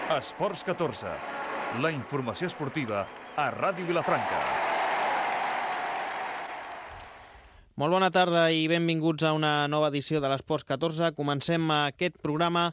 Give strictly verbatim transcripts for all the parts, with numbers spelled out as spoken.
Esports catorze, la informació esportiva a Ràdio Vilafranca. Molt bona tarda i benvinguts a una nova edició de l'Esports catorze. Comencem aquest programa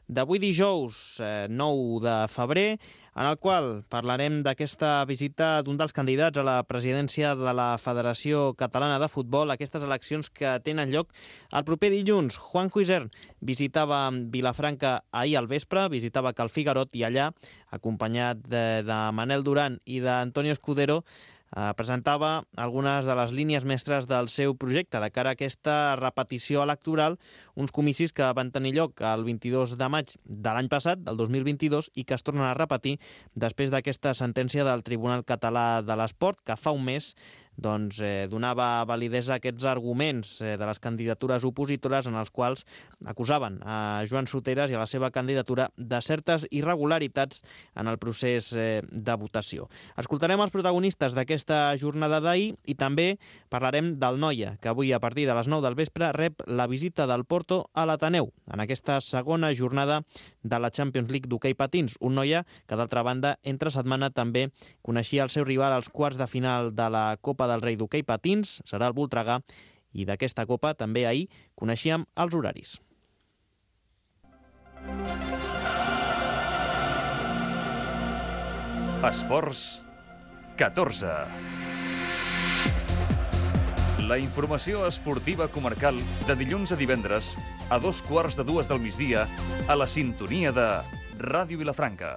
d'avui dijous, nou de febrer, en el qual parlarem d'aquesta visita d'un dels candidats a la presidència de la Federació Catalana de Futbol, aquestes eleccions que tenen lloc el proper dilluns. Juanjo Isern visitava Vilafranca ahir al vespre, visitava Cal Figuerot i allà, acompanyat de, de Manel Duran i d'Antonio Escudero, Eh, presentava algunes de les línies mestres del seu projecte de cara a aquesta repetició electoral, uns comicis que van tenir lloc el vint-i-dos de maig de l'any passat, del dos mil vint-i-dos, i que es tornen a repetir després d'aquesta sentència del Tribunal Català de l'Esport, que fa un mes doncs, eh, donava validesa a aquests arguments eh, de les candidatures opositores en els quals acusaven a Joan Soteras i a la seva candidatura de certes irregularitats en el procés eh, de votació. Escoltarem els protagonistes d'aquesta jornada d'ahir i també parlarem del Noia, que avui a partir de les nou del vespre rep la visita del Porto a l'Ateneu en aquesta segona jornada de la Champions League d'hoquei patins. Un Noia que, d'altra banda, entre setmana també coneixia el seu rival als quarts de final de la Copa del Rei d'hoquei patins, serà el Voltregà, i d'aquesta Copa també ahir coneixíem els horaris. Esports catorze. La informació esportiva comarcal de dilluns a divendres a dos quarts de dues del migdia a la sintonia de Ràdio Vilafranca.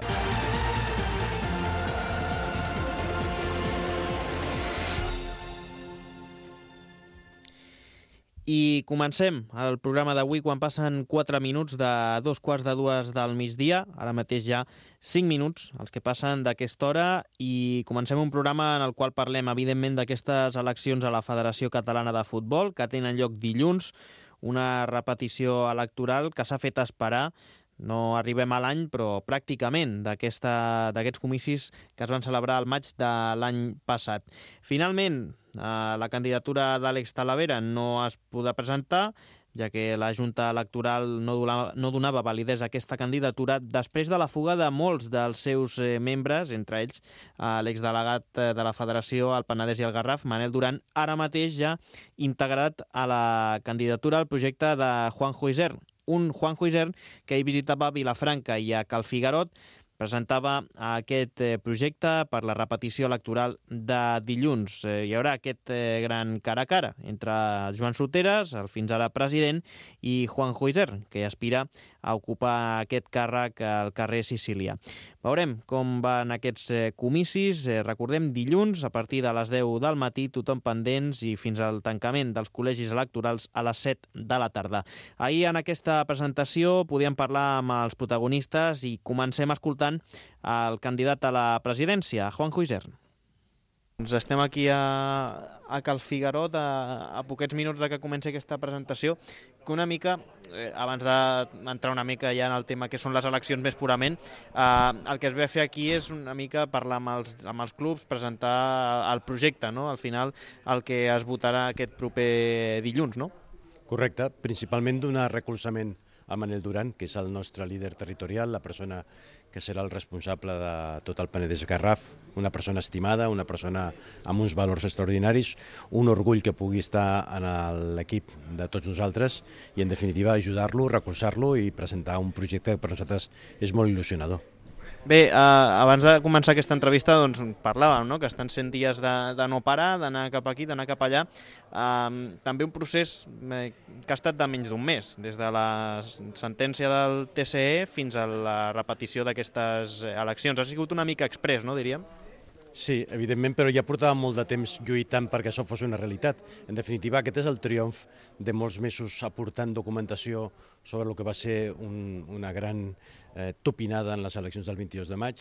I comencem el programa d'avui quan passen quatre minuts de dos quarts de dues del migdia, ara mateix ja cinc minuts, els que passen d'aquesta hora, i comencem un programa en el qual parlem, evidentment, d'aquestes eleccions a la Federació Catalana de Futbol, que tenen lloc dilluns, una repetició electoral que s'ha fet esperar. No arribem a l'any, però pràcticament d'aquests comicis que es van celebrar al maig de l'any passat. Finalment, la candidatura d'Àlex Talavera no es podrà presentar, ja que la Junta Electoral no donava, no donava validesa a aquesta candidatura després de la fuga de molts dels seus membres, entre ells l'exdelegat de la Federació al Penedès i al Garraf, Manel Duran, ara mateix ja integrat a la candidatura al projecte de Juanjo Isern. Un Juanjo Isern que hi visitava Vilafranca i a Cal Figuerot, presentava aquest projecte per la repetició electoral de dilluns. Hi haurà aquest gran cara a cara entre Joan Soteras, el fins ara president, i Juanjo Isern, que aspira a ocupar aquest càrrec al carrer Sicília. Veurem com van aquests comicis. Recordem, dilluns, a partir de les deu del matí, tothom pendents, i fins al tancament dels col·legis electorals a les set de la tarda. Ahir, en aquesta presentació, podíem parlar amb els protagonistes i comencem escoltant el candidat a la presidència, Juanjo Isern. Doncs estem aquí a, a Cal Figuerot, a, a poquets minuts de que comenci aquesta presentació, que una mica, eh, abans d'entrar una mica ja en el tema que són les eleccions més purament, eh, el que es ve a fer aquí és una mica parlar amb els, amb els clubs, presentar el projecte, no? Al final el que es votarà aquest proper dilluns, no? Correcte, principalment donar recolzament a Manel Duran, que és el nostre líder territorial, la persona que serà el responsable de tot el Penedès Garraf, una persona estimada, una persona amb uns valors extraordinaris, un orgull que pugui estar en l'equip de tots nosaltres i, en definitiva, ajudar-lo, recolzar-lo i presentar un projecte que per nosaltres és molt il·lusionador. Bé, eh, abans de començar aquesta entrevista doncs, parlàvem, no?, que estan cent dies de, de no parar, d'anar cap aquí, d'anar cap allà. Eh, també un procés eh, que ha estat de menys d'un mes, des de la sentència del T C E fins a la repetició d'aquestes eleccions. Ha sigut una mica express, no, diríem? Sí, evidentment, però ja portàvem molt de temps lluitant perquè això fos una realitat. En definitiva, aquest és el triomf de molts mesos aportant documentació sobre el que va ser un, una gran eh, topinada en les eleccions del vint-i-dos de maig,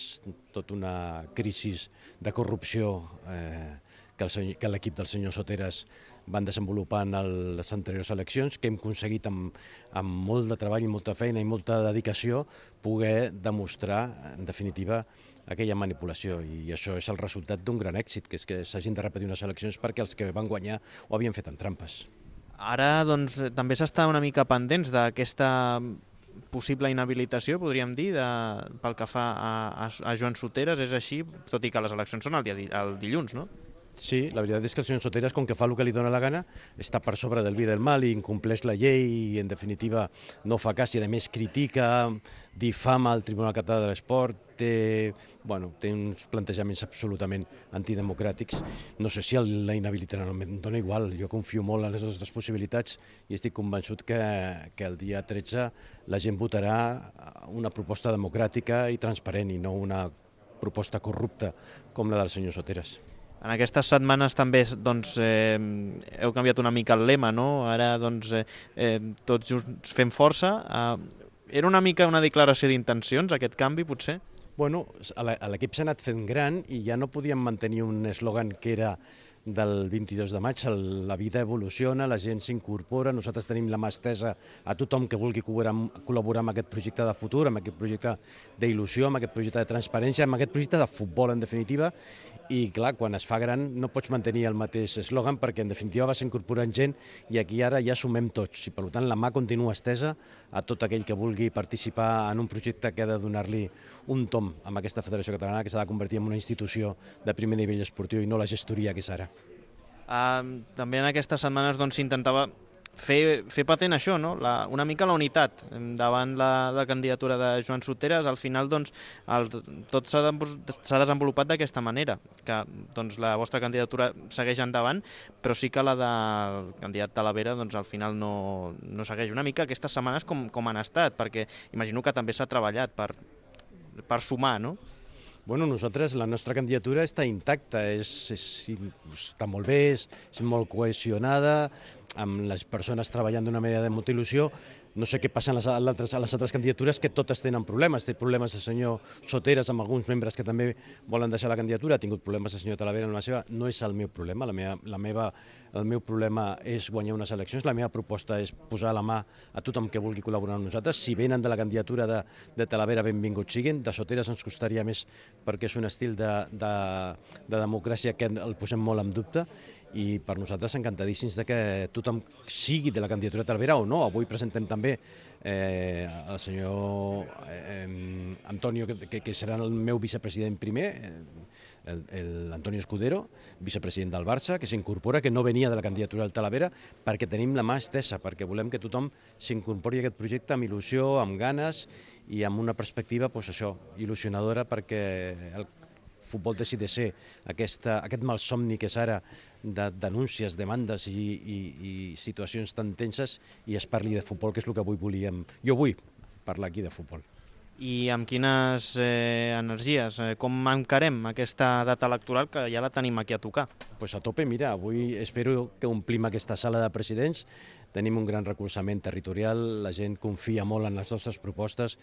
tota una crisi de corrupció eh, que l'equip del senyor Soteras van desenvolupar en les anteriors eleccions, que hem aconseguit amb, amb molt de treball i molta feina i molta dedicació poder demostrar, en definitiva, aquella manipulació, i això és el resultat d'un gran èxit, que és que s'hagin de repetir unes eleccions perquè els que van guanyar ho havien fet amb trampes. Ara doncs, també s'està una mica pendents d'aquesta possible inhabilitació, podríem dir, de, pel que fa a, a, a Joan Soteras, és així, tot i que les eleccions són el, dia, el dilluns, no? Sí, la veritat és que el senyor Soteras, com que fa el que li dóna la gana, està per sobre del bé i del mal i incompleix la llei i, en definitiva, no fa cas i, a més, critica, difama el Tribunal Català de l'Esport, té, bueno, té uns plantejaments absolutament antidemocràtics. No sé si la inhabilitaran, em dona igual, jo confio molt en les nostres possibilitats i estic convençut que, que el dia tretze la gent votarà una proposta democràtica i transparent i no una proposta corrupta com la del senyor Soteras. En aquestes setmanes també doncs, eh, heu canviat una mica el lema, no? Ara doncs, eh, eh, tots junts fem força. Eh, era una mica una declaració d'intencions, aquest canvi, potser? Bueno, l'equip s'ha anat fent gran i ja no podíem mantenir un eslògan que era del vint-i-dos de maig, la vida evoluciona, la gent s'incorpora, nosaltres tenim la mà estesa a tothom que vulgui col·laborar amb aquest projecte de futur, amb aquest projecte d'il·lusió, amb aquest projecte de transparència, amb aquest projecte de futbol, en definitiva, i clar, quan es fa gran no pots mantenir el mateix eslògan perquè en definitiva vas incorporant gent i aquí ara ja sumem tots i per tant la mà continua estesa a tot aquell que vulgui participar en un projecte que ha de donar-li un tom amb aquesta Federació Catalana que s'ha de convertir en una institució de primer nivell esportiu i no la gestoria que és ara. Uh, també en aquestes setmanes doncs, s'intentava fer, fer patent això, no? la, una mica la unitat davant la, la candidatura de Joan Soteras. Al final doncs, el, tot s'ha desenvolupat d'aquesta manera, que doncs, la vostra candidatura segueix endavant, però sí que la del candidat Talavera doncs, al final no, no segueix. Una mica aquestes setmanes com, com han estat, perquè imagino que també s'ha treballat per, per sumar, no? Bueno, nosaltres, la nostra candidatura està intacta, és, és, està molt bé, és, és molt cohesionada, amb les persones treballant d'una manera de molta il·lusió. No sé què passa a les, altres, a les altres candidatures, que totes tenen problemes. Té problemes el senyor Soteras amb alguns membres que també volen deixar la candidatura, ha tingut problemes el senyor Talavera amb la seva. No és el meu problema, la meva, la meva, el meu problema és guanyar unes eleccions, la meva proposta és posar la mà a tothom que vulgui col·laborar amb nosaltres. Si venen de la candidatura de, de Talavera, benvinguts siguin. De Soteras ens costaria més perquè és un estil de, de, de democràcia que el posem molt en dubte, i per nosaltres encantadíssims de que tothom sigui de la candidatura de Talavera o no. Avui presentem també eh, el senyor eh, Antonio, que, que, que serà el meu vicepresident primer, l'Antonio Escudero, vicepresident del Barça, que s'incorpora, que no venia de la candidatura del Talavera, perquè tenim la mà estesa, perquè volem que tothom s'incorpori a aquest projecte amb il·lusió, amb ganes i amb una perspectiva, doncs això, il·lusionadora, perquè el futbol deixi de ser aquesta, aquest malsomni que és ara de denúncies, demandes i, i, i situacions tan tenses i es parli de futbol, que és el que avui volíem. Jo vull parlar aquí de futbol. I amb quines eh, energies? Com encarem aquesta data electoral que ja la tenim aquí a tocar? Pues a tope, mira, avui espero que omplim aquesta sala de presidents. Tenim un gran recolzament territorial, la gent confia molt en les nostres propostes,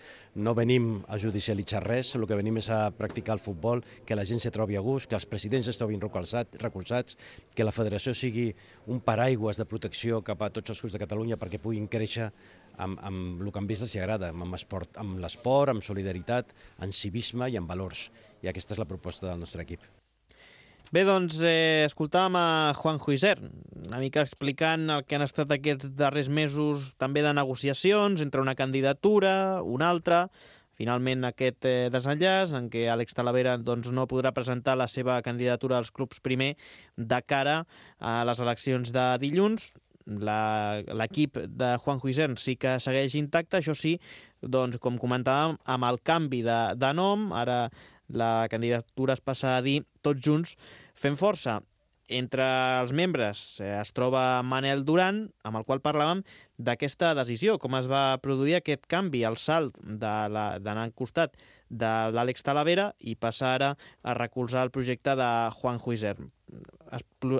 no venim a judicialitzar res, el que venim és a practicar el futbol, que la gent se trobi a gust, que els presidents es trobin recolzats, que la federació sigui un paraigües de protecció cap a tots els clubs de Catalunya perquè puguin créixer amb, amb el que a ells els agrada, amb esport, amb l'esport, amb solidaritat, amb civisme i amb valors. I aquesta és la proposta del nostre equip. Bé, doncs, eh, escoltàvem a Juanjo Isern, una mica explicant el que han estat aquests darrers mesos també de negociacions entre una candidatura, una altra, finalment aquest eh, desenllaç en què Àlex Talavera doncs, no podrà presentar la seva candidatura als clubs primer de cara a les eleccions de dilluns. L'equip de Juanjo Isern sí que segueix intacte, això sí, doncs, com comentàvem, amb el canvi de, de nom, ara la candidatura es passa a dir Tots Junts Fem Força. Entre els membres es troba Manel Duran, amb el qual parlàvem d'aquesta decisió, com es va produir aquest canvi, el salt d'anar al costat de l'Àlex Talavera i passar ara a recolzar el projecte de Juanjo Isern.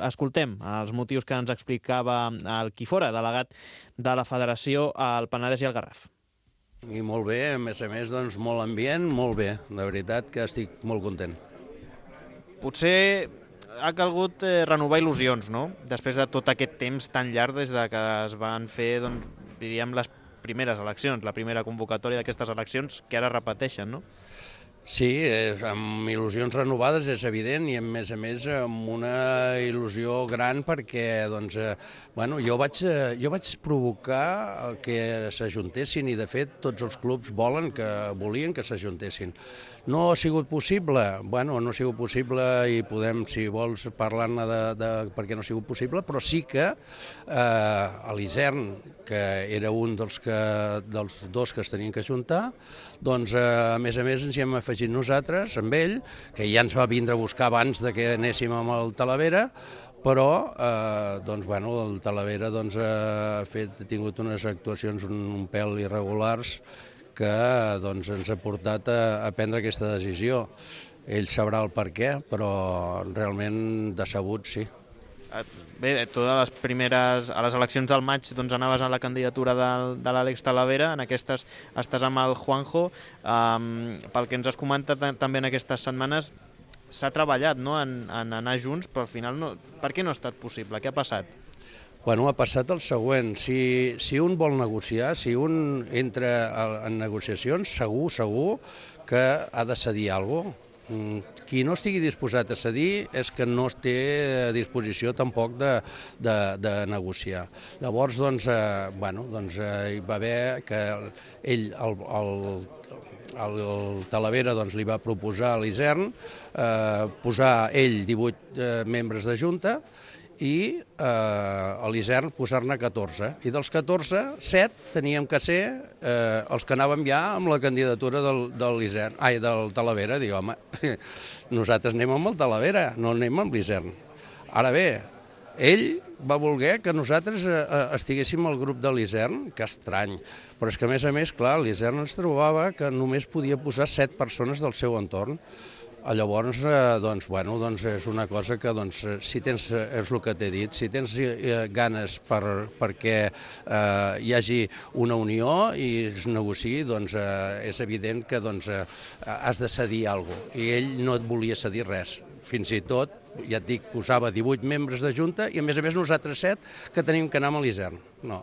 Escoltem els motius que ens explicava el Quifora, delegat de la Federació al Penedès i al Garraf. I molt bé, a més a més, doncs, molt ambient, molt bé. De veritat que estic molt content. Potser ha calgut eh, renovar il·lusions, no? Després de tot aquest temps tan llarg des de que es van fer, doncs, diríem, les primeres eleccions, la primera convocatòria d'aquestes eleccions, que ara repeteixen, no? Sí, és, amb il·lusions renovades és evident i a més a més amb una il·lusió gran perquè doncs, eh, bueno, jo, vaig, eh, jo vaig provocar que s'ajuntessin i de fet tots els clubs volen que volien que s'ajuntessin. No ha sigut possible? Bueno, no ha sigut possible i podem, si vols, parlar-ne de, de per què no ha sigut possible, però sí que eh, a l'Isern, que era un dels, que, dels dos que es tenien que ajuntar, doncs eh, a més a més ens hi hem afegit nosaltres, amb ell, que ja ens va vindre a buscar abans de que anéssim amb el Talavera, però eh, doncs, bueno, el Talavera doncs, ha, fet, ha tingut unes actuacions un, un pèl irregulars que doncs, ens ha portat a, a prendre aquesta decisió. Ell sabrà el per què, però realment decebut, sí. Bé, tu a les primeres, a les eleccions del maig doncs anaves a la candidatura de, de l'Àlex Talavera, en aquestes estàs amb el Juanjo. Um, pel que ens has comentat també en aquestes setmanes, s'ha treballat, no?, en, en anar junts, però al final no. Per què no ha estat possible? Què ha passat? Bueno, ha passat el següent. Si, si un vol negociar, si un entra en negociacions, segur, segur que ha de cedir alguna cosa. Qui no estigui disposat a cedir és que no té disposició tampoc de, de, de negociar. Llavors, doncs, eh, bueno, doncs eh, hi va haver que ell, el, el, el, el Talavera, doncs, li va proposar a l'Isern eh, posar ell divuit eh, membres de junta i eh, a l'Isern posar-ne catorze. I dels catorze, set teníem que ser eh, els que anàvem ja amb la candidatura del, de l'Isern, ai, del Talavera. Dic, home, nosaltres anem amb el Talavera, no anem amb l'Isern. Ara bé, ell va voler que nosaltres eh, estiguéssim al grup de l'Isern, que estrany, però és que a més a més, clar, l'Isern ens trobava que només podia posar set persones del seu entorn. Llavors, eh, doncs, bueno, doncs és una cosa que, doncs, si tens, és el que t'he dit, si tens eh, ganes per, perquè eh, hi hagi una unió i es negociï, doncs eh, és evident que doncs, eh, has de cedir alguna cosa. I ell no et volia cedir res. Fins i tot, ja et dic, posava divuit membres de junta i a més a més nosaltres set que tenim que anar amb l'Isern. No.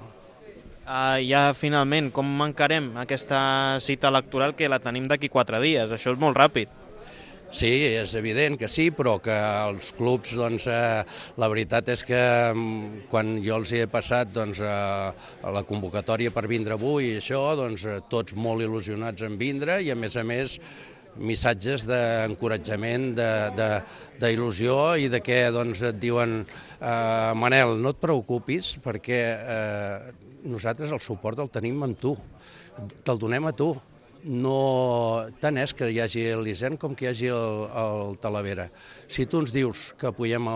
Uh, ja finalment, com encarem aquesta cita electoral que la tenim d'aquí quatre dies? Això és molt ràpid. Sí, és evident que sí, però que els clubs, doncs, eh, la veritat és que quan jo els he passat doncs, eh, la convocatòria per vindre avui i això, doncs, tots molt il·lusionats en vindre i, a més a més, missatges d'encoratjament, d'il·lusió i de que doncs, et diuen eh, Manel, no et preocupis perquè eh, nosaltres el suport el tenim amb tu, te'l donem a tu. No, tant és que hi hagi l'Isern com que hi hagi el, el Talavera. Si tu ens dius que apoyem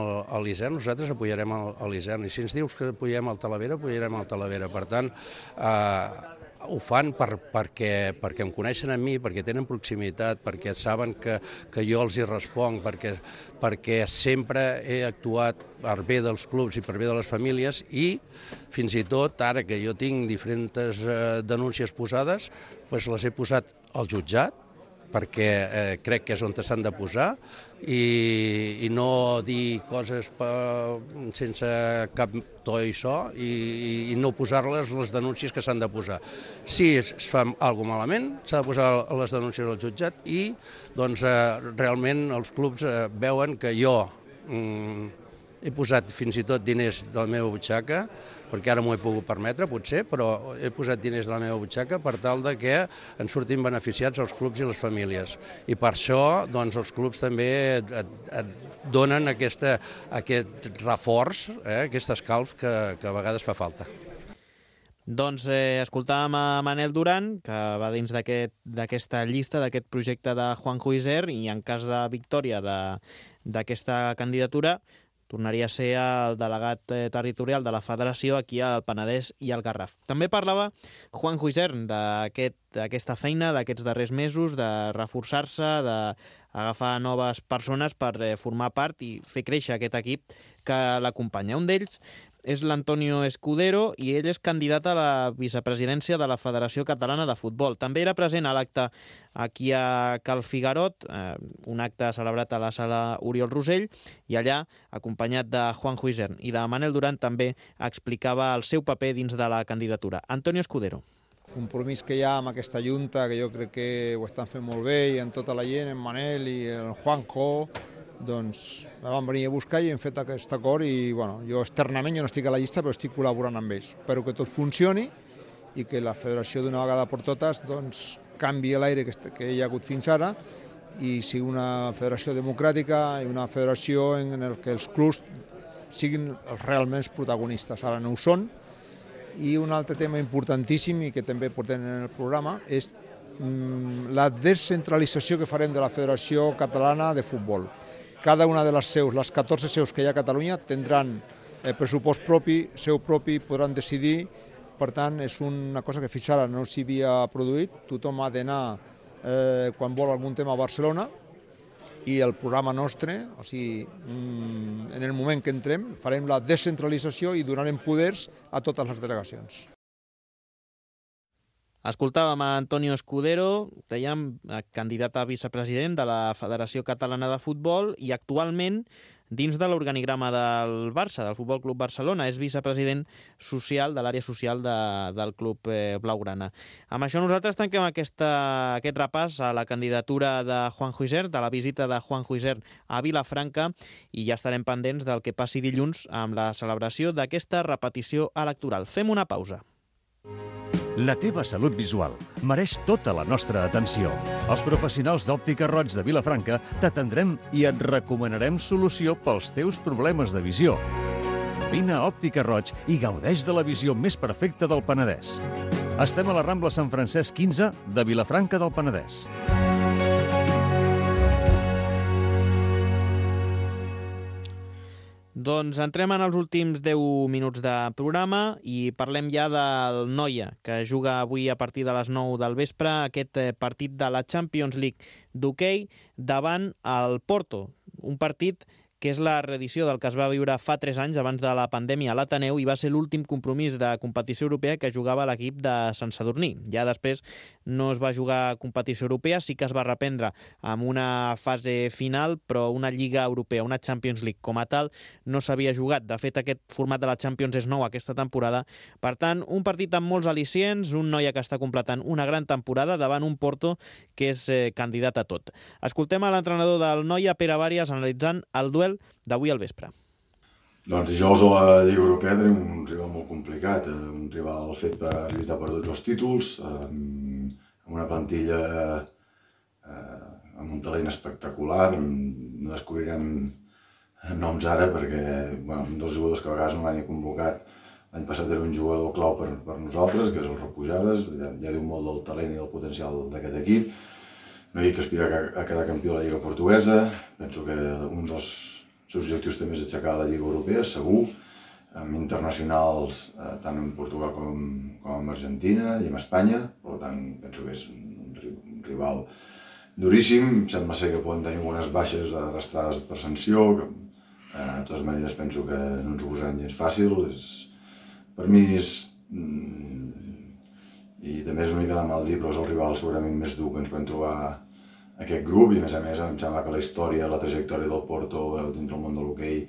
l'Isern, nosaltres apoyarem l'Isern, i si ens dius que apoyem el Talavera, apoyarem el Talavera. Per tant, eh, ho fan per, perquè, perquè em coneixen a mi, perquè tenen proximitat, perquè saben que, que jo els hi responc, perquè, perquè sempre he actuat per bé dels clubs i per bé de les famílies i fins i tot ara que jo tinc diferents eh, denúncies posades, doncs les he posat al jutjat, perquè eh, crec que és on s'han de posar i, i no dir coses per, sense cap to i so i, i no posar-les les denúncies que s'han de posar. Si es fa alguna cosa malament, s'ha de posar les denúncies al jutjat i doncs, eh, realment els clubs eh, veuen que jo mm, he posat fins i tot diners de la meva butxaca, perquè ara m'ho he pogut permetre, potser, però he posat diners de la meva butxaca per tal de que en surtin beneficiats els clubs i les famílies. I per això doncs, els clubs també et, et, et donen aquesta, aquest reforç, eh, aquest escalf que, que a vegades fa falta. Doncs eh, escoltàvem a Manel Duran, que va dins d'aquesta llista, d'aquest projecte de Juanjo Isern, i en cas de victòria d'aquesta candidatura, tornaria a ser el delegat territorial de la federació aquí al Penedès i al Garraf. També parlava Juanjo Isern d'aquesta aquest, feina d'aquests darrers mesos, de reforçar-se, d'agafar noves persones per formar part i fer créixer aquest equip que l'acompanya. Un d'ells és l'Antonio Escudero i ell és candidat a la vicepresidència de la Federació Catalana de Futbol. També era present a l'acte aquí a Cal Figarot, eh, un acte celebrat a la sala Oriol Rosell, i allà, acompanyat de Juanjo Isern i de Manel Duran, també explicava el seu paper dins de la candidatura. Antonio Escudero. compromís que hi ha amb aquesta junta, que jo crec que ho estan fent molt bé, i amb tota la gent, en Manel i el Juanjo, doncs me van venir a buscar i hem fet aquest acord i bueno, jo externament jo no estic a la llista però estic col·laborant amb ells. Espero que tot funcioni i que la federació d'una vegada per totes doncs, canvi l'aire que, que hi ha hagut fins ara i sigui una federació democràtica i una federació en el que els clubs siguin els realment protagonistes. Ara no ho són. I un altre tema importantíssim i que també portem en el programa és mm, la descentralització que farem de la Federació Catalana de Futbol. Cada una de les seus, les catorze seus que hi ha a Catalunya, tindran el pressupost propi, seu propi, podran decidir. Per tant, és una cosa que fins ara no s'hi havia produït. Tothom ha d'anar eh, quan vol algun tema a Barcelona i el programa nostre, o sigui, en el moment que entrem, farem la descentralització i donarem poders a totes les delegacions. Escoltàvem a Antonio Escudero, dèiem, candidat a vicepresident de la Federació Catalana de Futbol i actualment dins de l'organigrama del Barça, del Futbol Club Barcelona. És vicepresident social de l'àrea social de, del club eh, blaugrana. Amb això nosaltres tanquem aquesta, aquest repàs a la candidatura de Juanjo Isern, de la visita de Juanjo Isern a Vilafranca, i ja estarem pendents del que passi dilluns amb la celebració d'aquesta repetició electoral. Fem una pausa. La teva salut visual mereix tota la nostra atenció. Els professionals d'Òptica Roig de Vilafranca t'atendrem i et recomanarem solució pels teus problemes de visió. Vine a Òptica Roig i gaudeix de la visió més perfecta del Penedès. Estem a la Rambla Sant Francesc quinze de Vilafranca del Penedès. Doncs entrem en els últims deu minuts de programa i parlem ja del Noia, que juga avui a partir de les nou del vespre aquest partit de la Champions League d'hoquei davant el Porto. Un partit que és la reedició del que es va viure fa tres anys abans de la pandèmia a l'Ateneu i va ser l'últim compromís de competició europea que jugava l'equip de Sant Sadurní. Ja després no es va jugar competició europea, sí que es va reprendre amb una fase final, però una Lliga Europea, una Champions League com a tal, no s'havia jugat. De fet, aquest format de la Champions és nou aquesta temporada. Per tant, un partit amb molts al·licients, un Noia que està completant una gran temporada davant un Porto que és eh, candidat a tot. Escoltem a l'entrenador del Noia, Pere Bàrias, analitzant el duel d'avui al vespre. Doncs dijous a la Lliga Europea tenim un rival molt complicat, un rival fet per lluitar per tots els títols, amb una plantilla amb un talent espectacular. No descobrirem noms ara perquè bueno, un dels jugadors que a vegades no l'han convocat l'any passat era un jugador clau per, per nosaltres, que és el Repujades, ja, ja diu molt del talent i del potencial d'aquest equip. No hi ha que aspirar a quedar campió de la Lliga Portuguesa, penso que un dels seus objectius també és aixecar la Lliga Europea, segur, amb internacionals eh, tant en Portugal com, com en Argentina i en Espanya, per tant penso que és un, un rival duríssim. Em sembla ser que poden tenir algunes baixes arrastrades per sanció, que eh, de totes maneres penso que no ens ho posaran gens fàcil. És, per mi és, mm, i també és una mica de mal dir, però és el rival segurament més dur que ens podem trobar aquest grup, i a més a més em sembla que la història, la trajectòria del Porto dintre el món de l'hoquei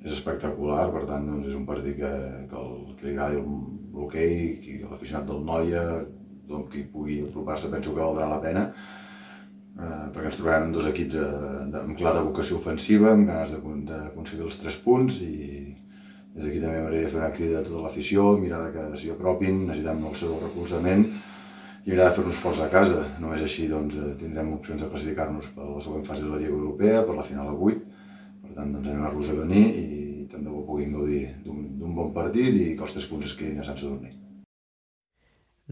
és espectacular. Per tant doncs, és un partit que, que, el, que li agradi l'hoquei, l'aficionat del Noia, doncs, qui pugui apropar-se penso que valdrà la pena, eh, perquè ens trobarem dos equips de, de, amb clara vocació ofensiva, amb ganes d'aconseguir els tres punts, i des d'aquí també m'agradaria fer una crida a tota l'afició, mirar que s'hi apropin, necessitem el seu recolzament i mirar de fer-nos forts a casa. Només així doncs, tindrem opcions de classificar-nos per la següent fase de la Lliga Europea, per la final a vuit. Per tant, doncs, anem a los a venir i tant de bo puguin gaudir d'un bon partit i que els tres punts es quedin a Sant Sadurní.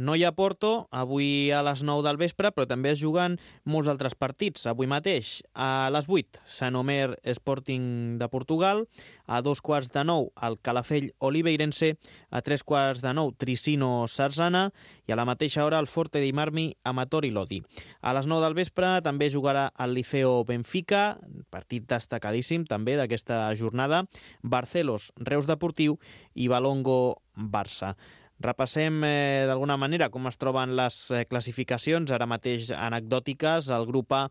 Noia-Porto, avui a les nou del vespre, però també es juguen molts altres partits. Avui mateix, a les vuit, Sant Omer Sporting de Portugal, a dos quarts de nou, el Calafell Oliveirense, a tres quarts de nou, Tricino Sarzana, i a la mateixa hora el Forte dei Marmi Amatori Lodi. A les nou del vespre també jugarà el Liceo Benfica, partit destacadíssim també d'aquesta jornada, Barcelos Reus Deportiu i Balongo Barça. Repassem eh, d'alguna manera com es troben les eh, classificacions, ara mateix anecdòtiques. El grup A,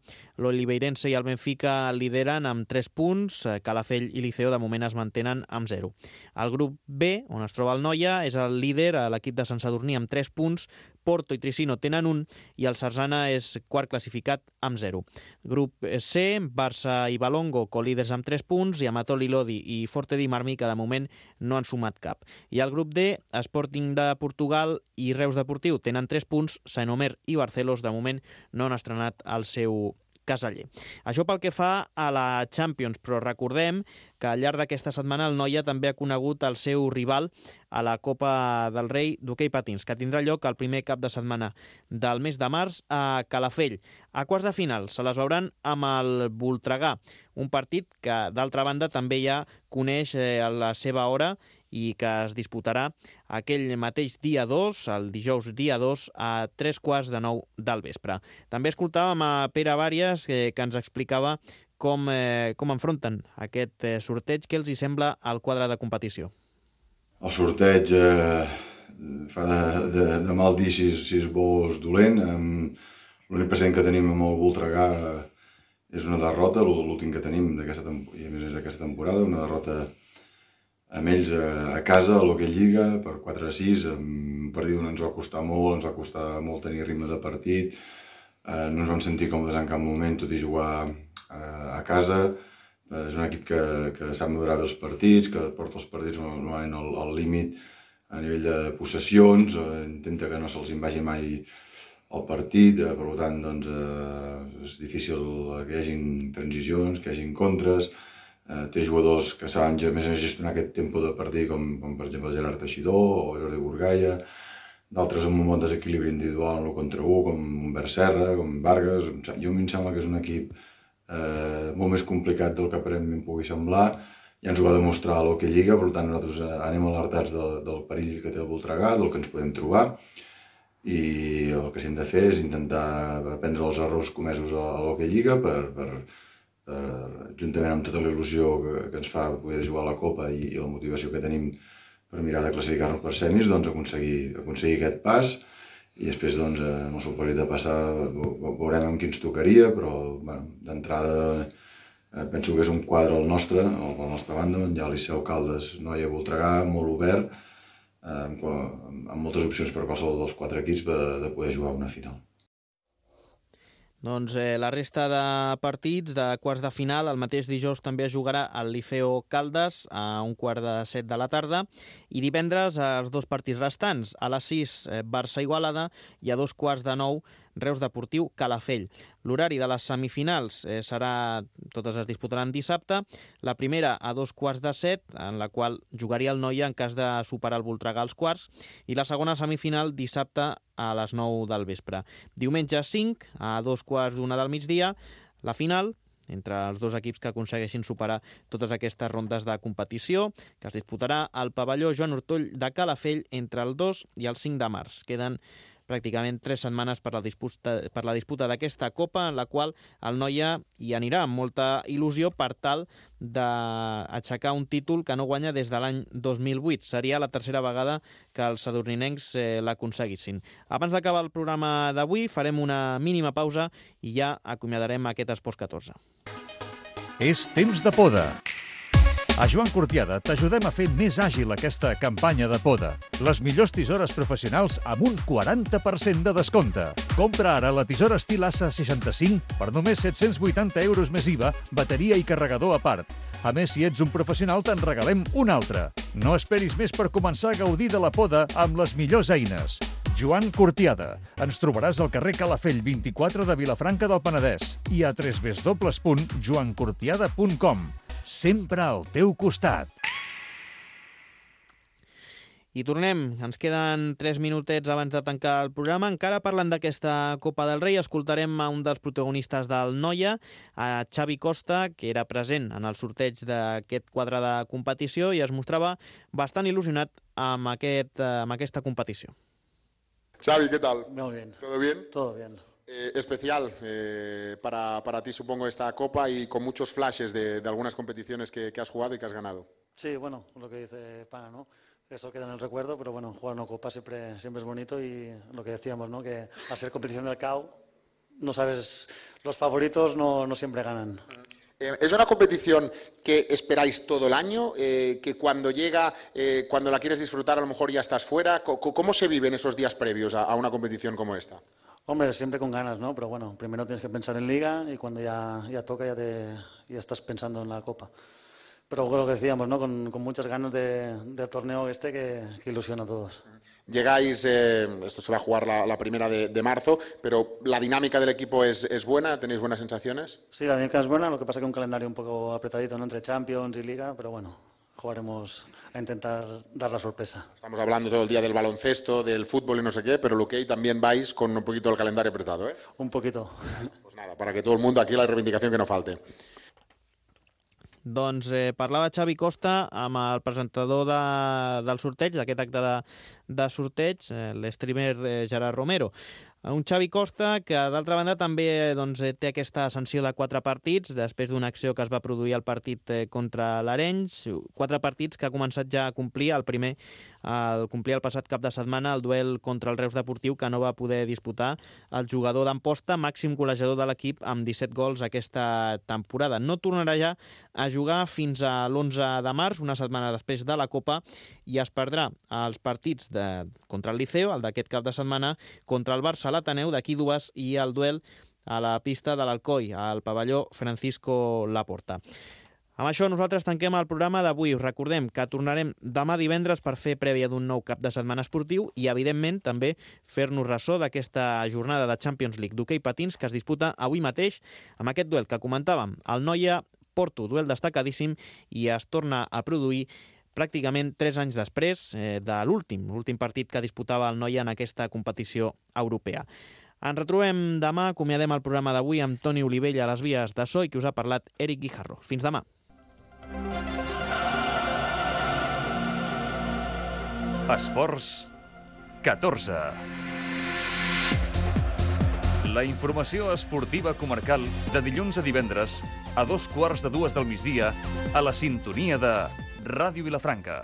l'Oliveirense i el Benfica lideren amb tres punts, eh, Calafell i Liceo de moment es mantenen amb zero. El grup B, on es troba el Noia, és el líder, l'equip de Sant Sadurní amb tres punts, Porto i Tricino tenen un i el Sarzana és quart classificat amb zero. Grup C, Barça i Balongo, colíders amb tres punts, i Amatol i Lodi i Forte di Marmi, que de moment no han sumat cap. I al grup D, Sporting de Portugal i Reus Deportiu tenen tres punts, Saint-Omer i Barcelos de moment no han estrenat el seu caseller. Això pel que fa a la Champions, però recordem que al llarg d'aquesta setmana el Noia també ha conegut el seu rival a la Copa del Rei d'hoquei patins, que tindrà lloc el primer cap de setmana del mes de març a Calafell. A quarts de final se les veuran amb el Voltregà, un partit que, d'altra banda, també ja coneix a la seva hora i que es disputarà aquell mateix dia dos, el dijous dia dos, a tres quarts de nou del vespre. També escoltàvem a Pere Vàries, que, que ens explicava com, eh, com enfronten aquest eh, sorteig, què els hi sembla al quadre de competició. El sorteig eh, fa de, de, de mal dir si, si és bo o és dolent. L'únic present que tenim amb el Voltregà és una derrota, l'últim que tenim d'aquesta temporada, i a més d'aquesta temporada, una derrota amb ells a casa, a l'Hockey Lliga, per quatre a sis, un partit on ens va costar molt, ens va costar molt tenir ritme de partit, eh, no ens vam sentir còmodes en cap moment, tot i jugar eh, a casa. Eh, és un equip que, que sap madurar bé els partits, que porta els partits normalment al, al límit a nivell de possessions, eh, intenta que no se'ls vagi mai el partit, eh, per tant doncs, eh, és difícil que hi hagin transicions, que hi hagin contres. Uh, té jugadors que saben ja més o menys gestionar aquest tempo de partit, com, com per exemple Gerard Teixidor o Jordi Burgaia, d'altres amb un bon desequilibri individual en el contra u, com Humbert Serra, com Vargas. Jo em sembla que és un equip eh, molt més complicat del que aparentment pugui semblar. Ja ens ho va demostrar a l'Hockey Lliga, per tant nosaltres anem alertats del, del perill que té el Voltregà, del que ens podem trobar, i el que hem de fer és intentar aprendre els errors comesos a, a l'Hockey Lliga per, per Per, juntament amb tota la il·lusió que, que ens fa poder jugar a la Copa i, i la motivació que tenim per mirar de classificar-nos per semis, doncs aconseguir, aconseguir aquest pas, i després doncs, en el supòsit de passar veurem amb qui ens tocaria, però bueno, d'entrada eh, penso que és un quadre el nostre, el, la nostra banda, on hi ha Liceu, Caldes, Noia, Voltregà, molt obert, eh, amb, amb moltes opcions per qualsevol dels quatre equips de, de poder jugar una final. Doncs eh, la resta de partits de quarts de final, el mateix dijous també es jugarà el Liceo Caldes a un quart de set de la tarda, i divendres els dos partits restants, a les sis eh, Barça Igualada i a dos quarts de nou Reus Deportiu Calafell. L'horari de les semifinals eh, serà, totes es disputaran dissabte, la primera a dos quarts de set, en la qual jugaria el Noia en cas de superar el Voltregà als quarts, i la segona semifinal dissabte a les nou del vespre. Diumenge cinc, a dos quarts d'una del migdia, la final entre els dos equips que aconsegueixin superar totes aquestes rondes de competició, que es disputarà al pavelló Joan Ortoll de Calafell entre el dos i el cinc de març. Queden pràcticament tres setmanes per la disputa, per la disputa d'aquesta Copa, en la qual el Noia hi anirà amb molta il·lusió per tal d'aixecar un títol que no guanya des de l'any dos mil vuit. Seria la tercera vegada que els sadurninencs eh, l'aconseguissin. Abans d'acabar el programa d'avui, farem una mínima pausa i ja acomiadarem aquest Esports catorze. És temps de poda. A Joan Cortiada t'ajudem a fer més àgil aquesta campanya de poda. Les millors tisores professionals amb un quaranta per cent de descompte. Compra ara la tisora estil A S A seixanta-cinc per només set-cents vuitanta euros més I V A, bateria i carregador a part. A més, si ets un professional, te'n regalem una altra. No esperis més per començar a gaudir de la poda amb les millors eines. Joan Cortiada. Ens trobaràs al carrer Calafell vint-i-quatre de Vilafranca del Penedès i a w w w punt joan cortiada punt com. Sempre al teu costat. I tornem, ens queden tres minutets abans de tancar el programa. Encara parlant d'aquesta Copa del Rei, escoltarem a un dels protagonistes del Noia, a Xavi Costa, que era present en el sorteig d'aquest quadre de competició i es mostrava bastant il·lusionat amb, aquest, amb aquesta competició. Xavi, ¿qué tal? Muy bien. ¿Todo bien? Todo bien. Eh, especial eh, para, para ti, supongo, esta Copa y con muchos flashes de, de algunas competiciones que, que has jugado y que has ganado. Sí, bueno, lo que dice Pana, ¿no? Eso queda en el recuerdo, pero bueno, jugar una Copa siempre, siempre es bonito y lo que decíamos, ¿no? Que al ser competición del C A O, no sabes, los favoritos no, no siempre ganan. Eh, ¿Es una competición que esperáis todo el año? Eh, ¿Que cuando llega, eh, cuando la quieres disfrutar, a lo mejor ya estás fuera? ¿Cómo, cómo se viven esos días previos a, a una competición como esta? Hombre, siempre con ganas, ¿no? Pero bueno, primero tienes que pensar en Liga y cuando ya, ya toca ya, te, ya estás pensando en la Copa. Pero lo que decíamos, ¿no? Con, con muchas ganas de, del torneo este que, que ilusiona a todos. Llegáis, eh, esto se va a jugar la, la primera de, de marzo, pero ¿la dinámica del equipo es, es buena? ¿Tenéis buenas sensaciones? Sí, la dinámica es buena, lo que pasa es que un calendario un poco apretadito, ¿no? Entre Champions y Liga, pero bueno, jugaremos a intentar dar la sorpresa. Estamos hablando todo el día del baloncesto, del fútbol y no sé qué, pero lo que hay también vais con un poquito el calendario apretado, ¿eh? Un poquito. Pues nada, para que todo el mundo aquí la reivindicación que no falte. Doncs eh, parlava Xavi Costa amb el presentador de, del sorteig, d'aquest acte de, de sorteig, eh, l'streamer eh, Gerard Romero. Un Xavi Costa que, d'altra banda, també doncs, té aquesta sanció de quatre partits després d'una acció que es va produir al partit eh, contra l'Arenys. Quatre partits que ha començat ja a complir. El primer el complir el passat cap de setmana el duel contra el Reus Deportiu, que no va poder disputar el jugador d'Amposta, màxim golejador de l'equip amb disset gols aquesta temporada. No tornarà ja a jugar fins a l'onze de març, una setmana després de la Copa, i es perdrà els partits de, contra el Liceo, el d'aquest cap de setmana, contra el Barça a l'Ateneu d'aquí dues i el duel a la pista de l'Alcoi, al pavelló Francisco Laporta. Amb això nosaltres tanquem el programa d'avui. Us recordem que tornarem demà divendres per fer prèvia d'un nou cap de setmana esportiu i, evidentment, també fer-nos ressò d'aquesta jornada de Champions League d'hoquei patins que es disputa avui mateix amb aquest duel que comentàvem, el Noia-Porto, duel destacadíssim, i es torna a produir pràcticament tres anys després eh, de l'últim, l'últim partit que disputava el Noia en aquesta competició europea. Ens retrobem demà, acomiadem el programa d'avui amb Toni Olivella a les vies de so i qui us ha parlat Eric Guijarro. Fins demà. Esports catorze. La informació esportiva comarcal de dilluns a divendres a dos quarts de dues del migdia a la sintonia de Ràdio Vilafranca.